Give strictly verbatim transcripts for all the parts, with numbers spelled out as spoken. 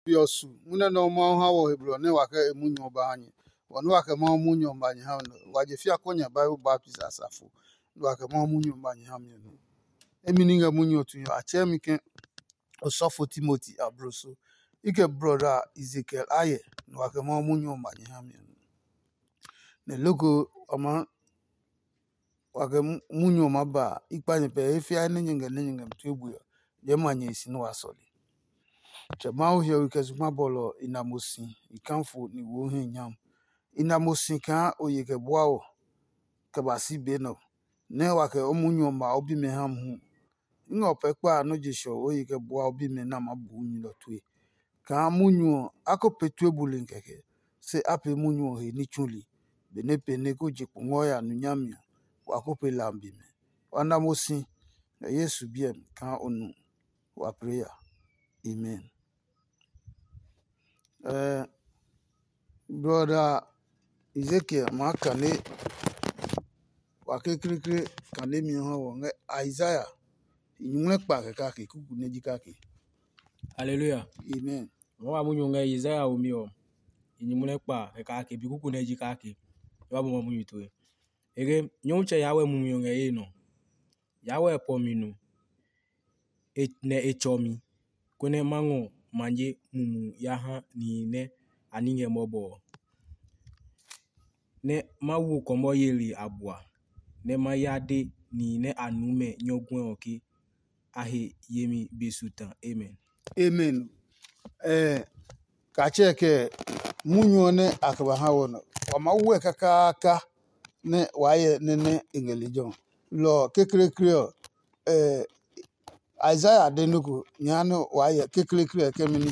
Be ɔ su munyu nɛ Mawu ha wɔ he blɔ nɛ wa kɛ e munyu ɔ ba ha nyɛ. Bɔ nɛ wa kɛ Mawu munyu ɔ ba nyɛ ha mi nɛ wa je fia kɔ nya Bible baptist asafo, nɛ wa kɛ Mawu munyu ɔ ba nyɛ ha mi ɔ nɛ. Emi ní ngɛ munyu ɔ tue ɔ, a tsɛɛ mi ke osɔfo Timoti abloso. I kɛ brɔda Ezekiel ayɛ, nɛ wa kɛ Mawu munyu ɔ ba nyɛ ha mi ɔ nɛ. Nɛ loko wa maa wa kɛ munyu ɔ maa ba a, i kpa nyɛ pɛ he fia nɛ nyɛ ngɛ nɛ nyɛ ngɛ mi tue bue ɔ, nyɛɛ ma nyɛ he si nɛ wa sɔle. Tsɛ Mawu hiɔwe kɛ zugba bɔlɔ ɔ, i na mo si, i kafo, ni wo hɛ nyam. I na mo si kaa o ye kɛ bua wɔ kɛ ba si be nɛ ɔ, nɛ wa kɛ o munyu ɔ ma o bimɛ ha mohu. I ngɛ o pɛ kpa a nɔ́ je shɔ o ye kɛ bua o bimɛ nɛ a maa bu munyu nɛ ɔ tue. Kaa munyu ɔ, a ko pee tue buli kɛkɛ, se a pee munyu ɔ he ní tsuli. Benɛ pee nɛ ko je kpo ngɔ ya nu nyami ɔ, wa ko pee lambi mɛ. Wa na mo si ngɛ Yesu biɛ mi kaa o nu wa pee ya. Amen. Eh, brother Ezekiel maa kane wa kekleekle kane mi ha wɔ ngɛ Isaiah nyuŋmlɛ kpa kɛ kake kuku nɛ ji kake. Hallelujah. Amen. Mo wa munyu ngɛ Isaiah omi ɔ, i nyumu nɛ kpa kɛ kake bi kuku nɛ ji kake. E wa bɔ ma munyu tue. Ege Nyɔmtsɛ ya wɛ mumi ɔ ngɛ ye nɔ. Ya wɛ pɔ mi nu. E nɛ e tsɔ mi, konɛ ma ngɔ manye mumu ya ha nihi nɛ a ní ngɛ mɔbɔ ɔ. Nɛ ma wo kɔmɔ yeli abua, nɛ ma ya de nihi nɛ a nuu mɛ nyɔguɛ ɔ ke a he yemi be su ta. Amen. Amen. Eh, katsɛ kɛ munyu ɔ nɛ a kɛ ba ha wɔ nɔ, wa ma wɛ kakaaka nɛ wa yɛ nɛ nɛ e ngɛ lejɛ ɔ. Lɔ ɔ kekleekle ɔ, eh, Isaiah de nɔ ko nya nɛ wa yɛ kekleekle ɔ kɛ mini.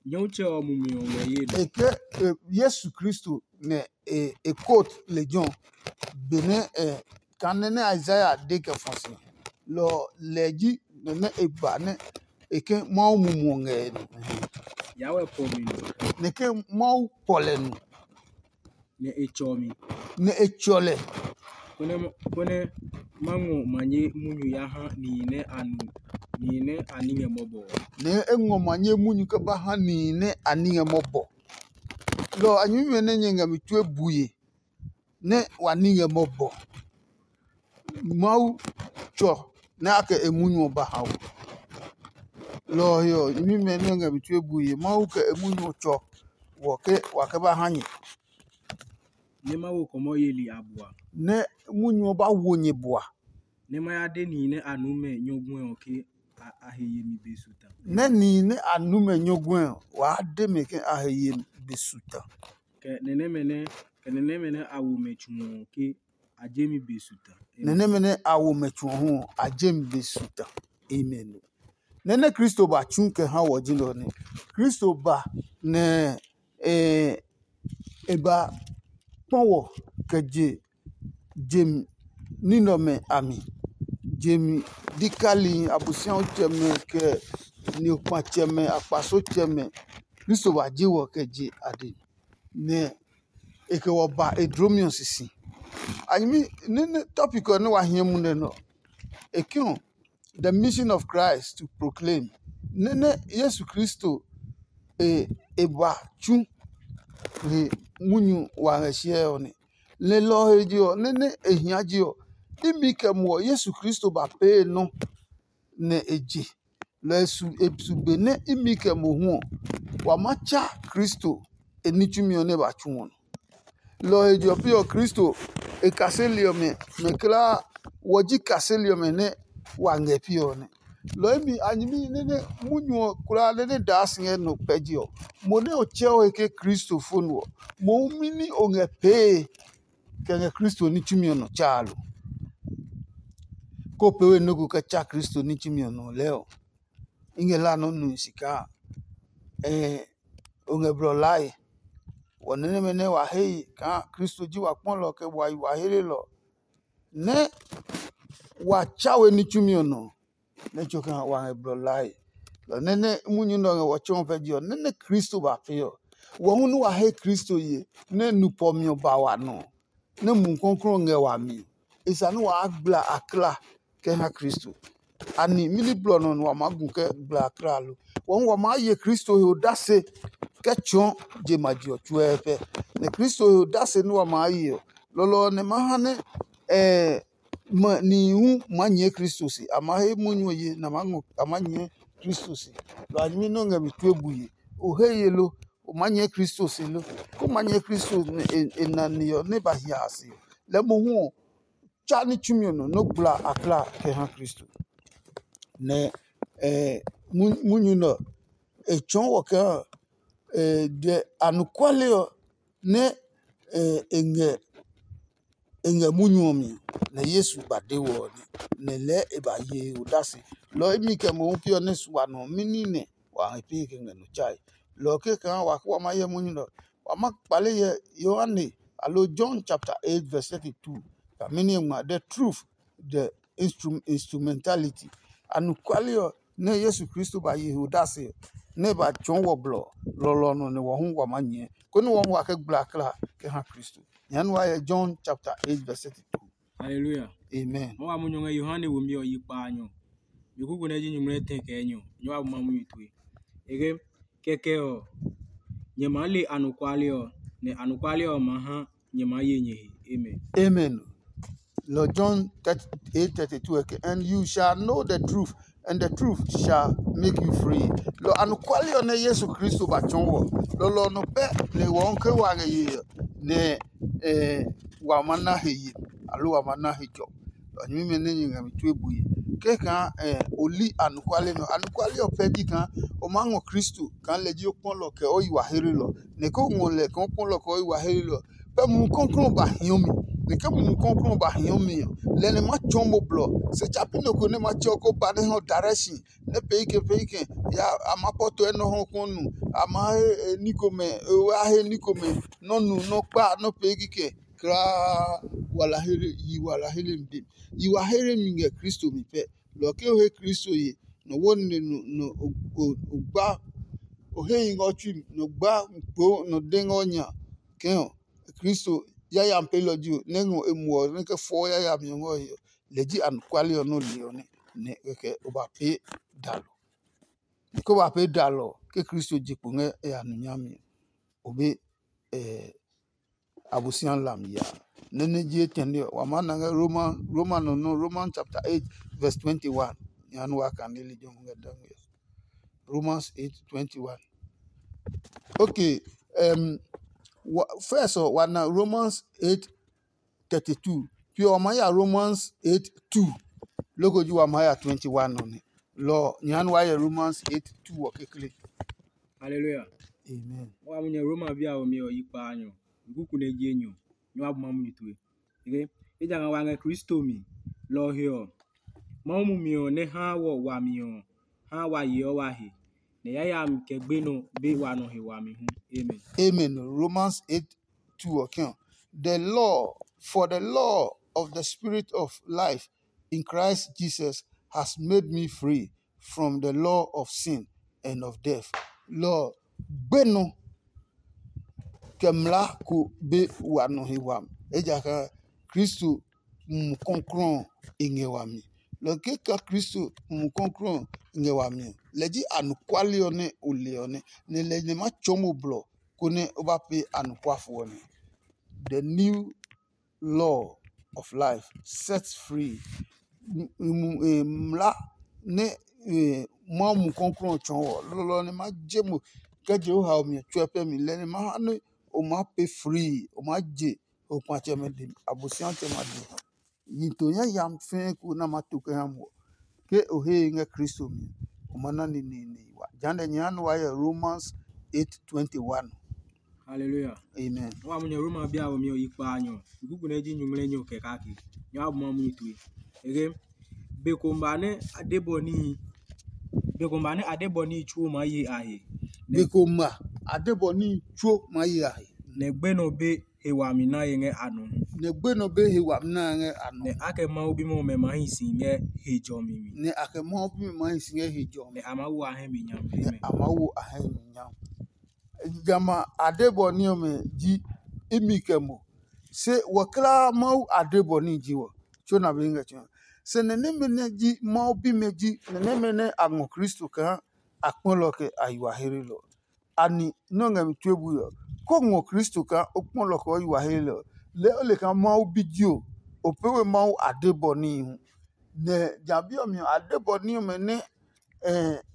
Nyɔmtsɛ ɔ mumi ɔ ngɛ ye nɔ. E ke eh, Yesu Kristo nɛ e e quote lejɛ ɔ, benɛ eh, kane nɛ Isaiah de kɛ fɔ si. Lɔ ɔ lɛ ji nɛ nɛ e ba nɛ e ke Mawu mumu ɔ ngɛ e nɔ. Ya wɛ pɔ mi nɔ. Nɛ ke Mawu pɔ lɛ nu. Nɛ e tsɔ mi. Nɛ e tsɔ lɛ. Konɛ ma- konɛ ma ngɔ manye munyu ya ha nihi nɛ a nu nihi nɛ a ní ngɛ mɔbɔ ɔ. Nɛ e ngɔ manye munyu kɛ ba ha nihi nɛ a ní ngɛ mɔbɔ. Lɔ ɔ a nyɛmimɛ nɛ nyɛ ngɛ mi tue bue nɛ wa ní ngɛ mɔbɔ. Mawu tsɔ nɛ a kɛ e munyu ɔ ba ha wɔ. Lɔ ɔ he ɔ, nyɛmimɛ nɛ ngɛ mi tue bue Mawu kɛ e munyu ɔ tsɔ wɔ ke wa kɛ ba ha nyɛ. Nɛ ma wo kɔmɔ yeli abua. Nɛ munyu ɔ ba wo nyɛ bua. Nɛ ma ya de nihi nɛ a nuu mɛ nyɔguɛ ɔ ke a, a he yemi be su ta. Nɛ nihi nɛ a nuu mɛ nyɔguɛ ɔ, waa de mɛ ke a he yemi be su ta. Kɛ nɛ nɛmɛ nɛ kɛ nɛ nɛmɛ nɛ a wo mɛ tsu ɔ ke a je mi be su ta. Nɛ nɛmɛ nɛ a wo mɛ tsu ɔ hu ɔ, a je mi be su ta. Amen. Nɛ nɛ Kristo ba tsu kɛ ha wɔ ji nɛ ɔ nɛ. Kristo ba nɛ e e ba kpɔ wɔ kɛ je je ní nɛ ɔmɛ a mi. Je mi dikali, Abosiaotsɛmɛ, kɛ ni akpatsɔɔtsɛmɛ. Kristo ba je wɔ kɛ je a dɛ, nɛ e kɛ wɔ ba e dlomi ɔ sisi. A nyɛmi nɛ nɛ topic ɔ nɛ wa hiɛ mu nɛ nɔ, e ke ɔ, the mission of Christ to proclaim. Nɛ nɛ Yesu Kristo e e ba tsu he munyu wa ngɛ siɛ ɔ nɛ. Lelɔ ɔ he je ɔ, nɛ nɛ e hia je ɔ, imi kɛ muɔ Yesu Kristo ba pee nɔ nɛ e je. Lɔ ɔ su e su be nɛ imi kɛ mohu ɔ, wa ma tsa Kristo e ní tsumi ɔ nɛ ba tsu ɔ nɔ. Lɔ ɔ he je ɔ pee ɔ, Kristo e kaseli ɔmɛ mɛ kulaa, wɔ ji kaseli ɔmɛ nɛ wa ngɛ piɛ ɔ nɛ. Lɔ ɔ mi a nyɛmi nɛ nɛ munyu ɔ kulaa nɛ nɛ daa si ngɛ nɔ kpɛji ɔ, mo nɛ o tsɛ o he ke Kristo fo nu ɔ, mohu mi ní o ngɛ pee kɛ ngɛ Kristo ní tsumi ɔ nɔ tsaa lo. Ko pee we nɔ́ ko kɛ tsa Kristo ní tsumi ɔ nɔ lɛɛ ɔ, i ngɛ la nɔ́ nu si kaa ɛɛ o ngɛ blɔ lae. Wɔ nɛ nɛmɛ nɛ wa he yi kaa Kristo ji wa kpɔlɔ kɛ wa yi wa helelɔ, nɛ wa tsa we ní tsumi ɔ nɔ, nɛ tso kaa wa ngɛ blɔ lae. Lɔ nɛ nɛ munyu nɛ ɔ ngɛ wɔ tsɔɔ pɛ je ɔ, nɛ nɛ Kristo ba pee ɔ, wɔ hu nɛ wa he Kristo ye nɛ nu pɔ mi ɔ ba wa nɔ, nɛ Mumi Klɔuklɔu ngɛ wami ɔ, e sa nɛ waa gbla akla kɛ ha Kristo. Ani mɛni blɔ nɔ nɛ wa maa gu kɛ gbla akla lo? kpɔ hu wa maa ye Kristo he odase kɛ tsɔɔ je ma je ɔ tsuɛɛfɛ. Nɛ Kristo he odase nɛ wa maa ye ɔ, lɔlɔ ɔ nɛ ma ha nɛ nihi hu maa nyɛɛ Kristo se. A maa he munyu ɔ ye nɛ a maa nyɛɛ Kristo se. Lɔ a nyɛmi nɛ o ngɛ mi tue bue. O he ye lo? O maa nyɛɛ Kristo se lo? Ko maa nyɛɛ Kristo e nane ɔ nɛ ba hia a se ɔ, lɛɛ mohu ɔ, tsa ní tsumi ɔ nɔ nɛ o gbla a kla kɛ ha Kristo. Nɛ munyu nɛ ɔ, e tsɔɔ wɔ kaa dɛ anɔkuale ɔ nɛ e ngɛ e ngɛ munyu ɔ mi, nɛ Yesu ba de wɔ ɔ nɛ, nɛ lɛɛ e ba ye odase. Lɔ ɔ imi kɛ mohu pi ɔ nɛ su wa nɔ mɛni nɛ wa he pee kɛ ngɛ nɔ tsae? Lɔ ɔ ke kaa wa kɛ wa ma hyɛ munyu nɛ ɔ, wa ma kpale hyɛ Yohane alo John chapter eight verse thirty-two. Ka mɛni ngma the truth, the instrumentality. Anɔkuale ɔ nɛ Yesu Kristo ba ye he odase ɔ, nɛ e ba tsɔɔ wɔ blɔ lɔlɔ ɔ nɔ nɛ wɔ hu wa maa nyɛɛ, konɛ wɔ hu wa kɛ gbla kla kɛ ha Kristo. Nyɛɛ nu wa hyɛ John chapter eight verse thirty-two. Hallelujah. Amen. Mo wa mu nyɔ ngɛ Yohane womi ɔ yi kpaanyɔ. Mi kuku nɛ ji nyumu nɛ tɛ kɛ enyɔ. Nyɔ wa bu ma munyu tue. Ege kɛkɛ ɔ, nyɛ maa le anɔkuale ɔ, nɛ anɔkuale ɔ maa ha nyɛ maa ye nyɛ he. Amen. Amen. Lɔ John eight thirty-two eke, and you shall know the truth, and the truth shall make you free. Lɔ anɔkuale ɔ nɛ Yesu Kristo ba tsɔɔ wɔ. Lɔlɔ ɔ nɔ pɛ nɛ wɔ ke wa ngɛ ye nɛ wa ma na he ye, alo wa ma na he jɔ. Nyɛmimɛ nɛ nyɛ ngɛ mi tue bue. Ke kaa o li anɔkuale nɔ, anɔkuale ɔ pɛ ji kaa o maa ngɔ Kristo kaa lɛ ji o kpɔlɔ kɛ o yi wa herilɔ. Nɛ ko ngɔ lɛ kaa o kpɔlɔ kɛ o yi wa herilɔ, pɛ Mumi Klɔuklɔu ba hiɔ mi. Nɛ ke Mumi Klɔuklɔu ba hiɔ mi ɔ, lɛ nɛ ma tsɔɔ mo blɔ. Se tsa pi nɔ ko nɛ ma tsɛ ɔ ko ba nɛ hɔ direction nɛ pee kɛ pee kɛ ya a ma pɔtɔɛ nɔ hɔ kɔ nu, a ma he ní komɛ, a he ní komɛ nɔ nu nɔ kpa nɔ pee kikɛ. Kraa wala here yi wala here mi dem. Yi wa here mi ngɛ Kristo mi pɛ. Lɔ ke o he Kristo ye, nɔ wo nine nɔ nɔ o gba, o he yi ngɛ o tsui mi, nɔ gba kpo nɔ de ngɛ o nya kɛ̃ ɔ, Kristo yayami peelɔ ji o, nɛ ngɔ e muɔ ɔ nɛ kɛ fɔɔ yayami ɔ ngɛ o he ɔ, lɛ ji anɔkuale ɔ nɛ o le ɔ nɛ, nɛ kɛkɛ o ba pee dalɔ. Ke o ba pee dalɔ ɔ, ke Kristo je kpo ngɛ e a nɔ nyami ɔ, o be Abosiami lam ya. Nɛ nɛ ji etɛne ɔ, wa maa na ngɛ Roma, Roma nɔ nɔ, Romans chapter eight verse twenty-one. Nya nɛ wa kan lili jɔmi ngɛ dangme ɔ. Romans eight twenty-one. Okay, um, wa, first ɔ, wa na Romans eight thirty-two. Pi ɔ, wa maa ya Romans eight two. Loko ji wa maa ya twenty-one ɔ nɛ. Lɔ nya nɛ wa yɛ Romans eight two ɔ kekle. Hallelujah. Amen. Wa mu nyɛ Roma bi a ɔ mi ɔ yi kpaanyɔ. Kuku nɛ ji enyɔ. Nyɛ wa bu ma munyu tue. Ege, ejakaa wa ngɛ Kristo mi. Lɔ ɔ he ɔ, Mawu mumi ɔ nɛ haa wɔ wami ɔ, haa wa yeɔ wa he, nɛ yayami kɛ gbenɔ be wa nɔ he wami hu. Amen. Amen. Romans eight two ɔ kɛ̃ ɔ, the law, for the law of the spirit of life in Christ Jesus has made me free from the law of sin and of death. Lɔ ɔ gbenɔ kɛ mlaa ko be wa nɔ he wami, ejakaa Kristo Mumi Klɔuklɔu ɔ e ngɛ wami. Lɔ ke ka Kristo Mumi Klɔuklɔu ɔ ngɛ wami ɔ, lɛ ji anɔkuale ɔ nɛ o le ɔ nɛ, nɛ lɛ nɛ ma tsɔɔ mo blɔ konɛ o ba pee anɔkuafo ɔ nɛ. The new law of life sets free. Mla nɛ Mawu Mumi Klɔuklɔu ɔ tsɔɔ ɔ, lɔlɔ ɔ nɛ ma je mo kɛ je o haomi ɔ tsuɛ pɛ mi, lɛ nɛ ma ha nɛ o maa pe free, o maa je okpatsɛmɛ dɛ mi, Abosiami tsɛ ma dɛ mi. Yi to yayami fɛɛ ko nɛ a maa to kɛ ha mo ɔ, ke o he e ngɛ Kristo mi ɔ, o ma na neneene yi wa. Jehanɛ nyɛ ha nɛ wa hyɛ Romans eight twenty-one. Hallelujah. Amen. Wa mo nyɛ Roma bia ɔ mi ɔ yi kpaanyɔ. Kuku nɛ ji nyuŋmlɛ nyɔ kɛ kake. Nyɛ wa bu ma munyu tue. Ege be ko ma nɛ a de bɔ níhi. Be ko ma nɛ a de bɔ níhi tsuo maa ye a he. Be ko ma a de bɔ níhi tsuo maa ye a he. Nɛ gbenɔ be he wami na ye ngɛ a nɔ. Nɛ gbenɔ be he wami na ngɛ a nɔ. Nɛ a kɛ Mawu bimɛ ɔmɛ ma hi si ngɛ he jɔmi mi. Nɛ a kɛ Mawu bimɛ ma hi si ngɛ he jɔmi. Nɛ a ma wo a hɛ mi nyam. Nɛ a ma wo a hɛ mi nyam. Jamɛ a de bɔ ní ɔmɛ ji imi kɛ mo. Se wɔ klaa Mawu a de bɔ ní ji wɔ. Tso na be ngɛ tso. Se nɛ nɛmɛ nɛ ji Mawu bimɛ ji nɛ nɛmɛ nɛ a ngɔ Kristo kaa a kpɔlɔ kɛ a yi wa hlelɔ. Ani nɔ́ ngɛ mi tue bui ɔ, ko ngɔ Kristo kaa o kpɔlɔ kɛ o yi wa hlelɔ ɔ, lɛɛ o le kaa Mawu bi ji o, o pee we Mawu adebɔ níhi hu. Nɛ ja bi ɔ mi ɔ, adebɔ ní ɔmɛ nɛ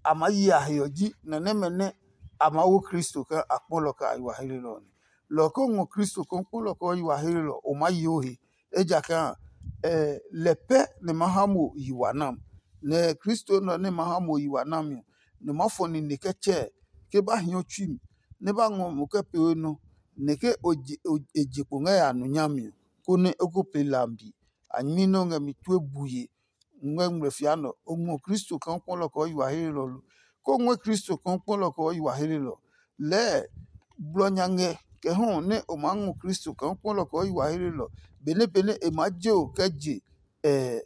a maa yi a he ɔ ji nɛ nɛmɛ nɛ a maa wo Kristo kaa a kpɔlɔ kɛ a yi wa hlelɔ ɔ nɛ. Lɔ ɔ ko ngɔ Kristo kaa o kpɔlɔ kɛ o yi wa hlelɔ ɔ, o maa yi o he. Ejakaa lɛ pɛ nɛ ma ha mo yi wa nam. Nɛ Kristo nɛ ɔ nɛ ma ha mo yi wa nami ɔ, nɛ ma fɔ nine kɛ tsɛɛ ke ba hiɔ tsui mi, nɛ ba ngɔ mo kɛ pee we nɔ, nɛ ke e je kpo ngɛ ya nu nyami ɔ, konɛ o ko pee lambi. A nyɛmi nɛ o ngɛ mi tue bue ngɛ ngmlɛ fia nɛ ɔ, o ngɔ Kristo kaa o kpɔlɔ kɛ o yi wa hlelɔ lo? Ko ngɔɛ Kristo kaa o kpɔlɔ kɛ o yi wa hlelɔ. Lɛɛ blɔ nya ngɛ kɛ hɔ nɛ o maa ngɔ Kristo kaa o kpɔlɔ kɛ o yi wa hlelɔ, benɛ benɛ e maa je o kɛ je ɛ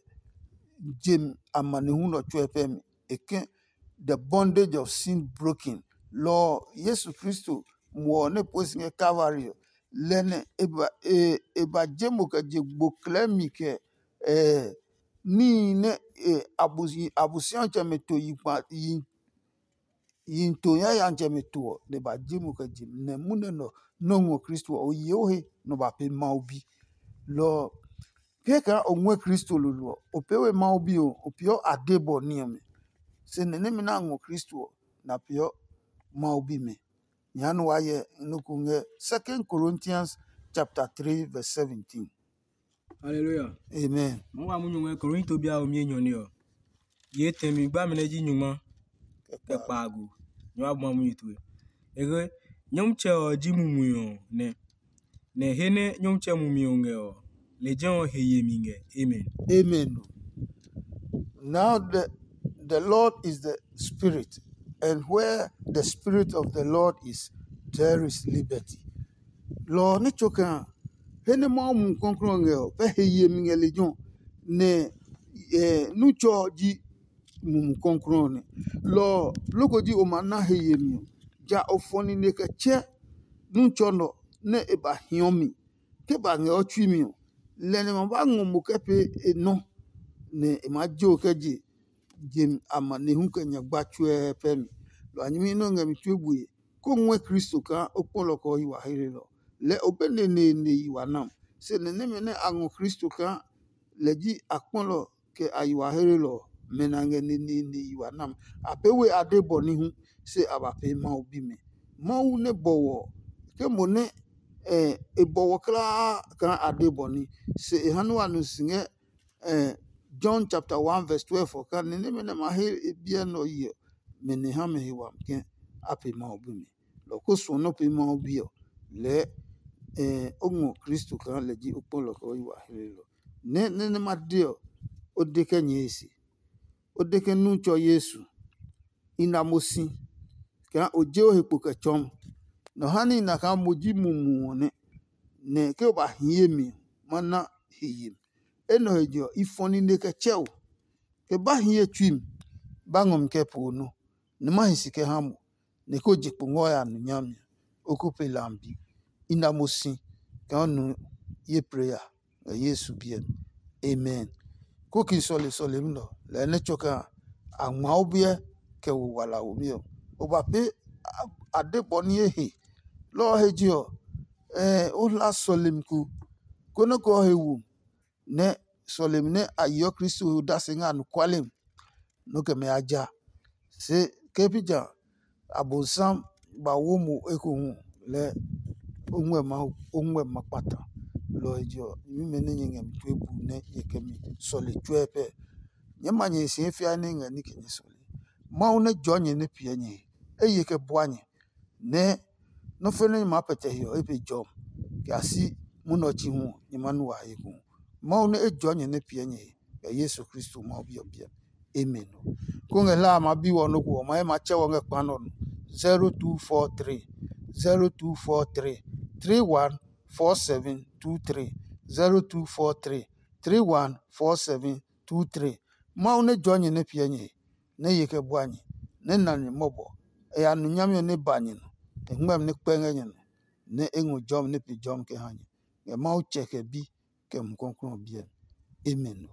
jem amanehlu nɛ ɔ tsuɛ pɛ mi. E ke the bondage of sin broken. Lɔ ɔ Yesu Kristo muɔ ɔ nɛ pue si ngɛ Kalvari ɔ, lɛ nɛ e ba e e ba je mo kɛ je gbo klɛɛ mi kɛ ɛ níhi nɛ e abusi abusiatsɛmɛ to yi kpa yi yi to yayatsɛmɛ to ɔ, nɛ ba je mo kɛ je mi nɛ munɛ nɛ ɔ nɔ́ ngɔ Kristo ɔ, o ye o he nɛ o ba pee Mawu bi. Lɔ ɔ, ke kaa o ngɔɛ Kristo lolo ɔ, o pee we Mawu bi ɔ, o peeɔ adebɔ ní ɔmɛ. Se nɛ nɛmɛ nɛ a ngɔ Kristo ɔ, nɛ a peeɔ Mawu bimɛ. Nyɛ ha nɛ waa hyɛ nɔ́ ko ngɛ Second Corinthians chapter three verse seventeen. Hallelujah. Amen. Mo wa munyu ngɛ Korinto bi a mi enyɔ ne ɔ. Ye tɛmi gbami nɛ ji nyungma kɛ kpaago. Nyɛ wa bua munyu tue. Ege Nyɔmtsɛ ɔ ji mumi ɔ nɛ. Nɛ he nɛ Nyɔmtsɛ mumi ɔ ngɛ ɔ, lejɛ ɔ he yemi ngɛ. Amen. Amen. Now the, the Lord is the Spirit, and where the Spirit of the Lord is, there is liberty. Lɔ ɔ nɛ tso kaa he nɛ Mawu Mumi Klɔuklɔu ɔ ngɛ ɔ, pɛ he yemi ngɛ lejɛ ɔ, nɛ nu tsɔ ɔ ji Mumi Klɔuklɔu ɔ nɛ. Lɔ ɔ, loko ji o ma na he yemi ɔ, ja o fɔ nine kɛ tsɛ nu tsɔ nɛ ɔ nɛ e ba hiɔ mi. Ke ba ngɛ o tsui mi ɔ, lɛ nɛ ma ba ngɔ mo kɛ pee e nɔ, nɛ e maa je o kɛ je je amanehlu kɛ nyagba tsuɛ pɛ mi. Lɔ a nyɛmi nɛ o ngɛ mi tue bue, kó ngɔɛ Kristo kaa o kpɔlɔ kɛ o yi wa he lelɔ. Lɛɛ o be neneene yi wa nam. Se nɛ nɛmɛ nɛ a ngɔ Kristo kaa lɛ ji a kpɔlɔ kɛ a yi wa he lelɔ ɔ, mɛ nɛ a ngɛ neneene yi wa nam. A pee we adebɔ ní hu, se a ba pee Mawu bimɛ. Mawu nɛ bɔwɔ ɔ, ke mo nɛ e bɔwɔ kulaa kaa adebɔ ní, se e ha nɛ wa nu si ngɛ John chapter one verse twelve ɔ kaa, ni nɛmɛ nɛ ma he e biɛ nɛ ɔ yi ɔ, mɛ nɛ ha mɛ he wami ke a pe Mawu bimɛ. Lɔ ko suɔ nɔ́ pee Mawu bi ɔ, lɛɛ o ngɔ Kristo kaa lɛ ji o kpɔlɔ kɛ o yi wa he lelɔ. Nɛ nɛ nɛ ma de ɔ, o de kɛ nyɛe se. O de ke nu tsɔ Yesu, i na mo si kaa o je o he kpo kɛ tsɔɔ. Nɔ ha ní i na kaa mo ji mumi ɔ nɛ, nɛ ke o ba hie mi ɔ, ma na he yemi. Enɛ he je ɔ, i fɔ nine kɛ tsɛ o. Ke ba hie tsui mi, ba ngɔ mi kɛ po nɔ, nɛ ma hi si kɛ ha mo, nɛ ko je kpo ngɔ ya nu nyami ɔ, o ko pe lambi. I na mo si kaa o nu ye preya ngɛ Yesu biɛ mi. Amen. Ko ki sɔle sɔlemi nɛ ɔ, lɛɛ nɛ tsɔ kaa a ngma o biɛ kɛ wo wala womi ɔ, o ba pee adebɔ ní e he. Lɔ ɔ he je ɔ, o hla sɔlemi ko, konɛ ko ɔ he wo nɛ sɔlemi nɛ a yeɔ Kristo he odase ngɛ anɔkuale mi, nɔ kɛ mɛ ya ja. Se ke pi ja Abonsam ba wo mo ekohu lɛɛ o ngmɛ ma o ngmɛ ma kpata. Lɔ ɔ he je ɔ, nyɛmimɛ nɛ nyɛ ngɛ mi tue bu nɛ nyɛ kɛ mi sɔle tsuɛ pɛ. Nyɛɛ ma nyɛ he si he fia nɛ e ngɛ ní kɛ nyɛ sɔle. Mawu nɛ jɔɔ nyɛ nɛ piɛ nyɛ he, e ye kɛ bua nyɛ, nɛ nɔ́ fe nɛ nyɛ maa pɛtɛ he ɔ, e pe jɔmi, kɛ ya si munɛ ɔ chi hu ɔ, nyɛ ma nu wa he hu. Mawu nɛ e jɔɔ nyɛ nɛ piɛ nyɛ he, kɛ Yesu Kristo Mawu Bi ɔ biɛ mi. Amen ɔ. Ko ngɛ hla a ma bi wɔ nɔ́ ko ɔ, ma he ma tsɛ wɔ ngɛ kpa nɛ ɔ nɔ. Zero two four three, zero two four three, three one four seven two three, zero two four three, three one four seven two three. Mawu nɛ jɔɔ nyɛ nɛ piɛ nyɛ he, nɛ ye kɛ bua nyɛ, nɛ na nyɛ mɔbɔ. E ya nu nyami ɔ nɛ ba nyɛ nɔ, e ngmɛmi nɛ kpɛ ngɛ nyɛ nɔ, nɛ e ngɔ jɔmi nɛ pe jɔmi kɛ ha nyɛ, ngɛ Mawu Tsɛ kɛ Bi kɛ Mumi Klɔuklɔu ɔ biɛ mi. Amen ɔ.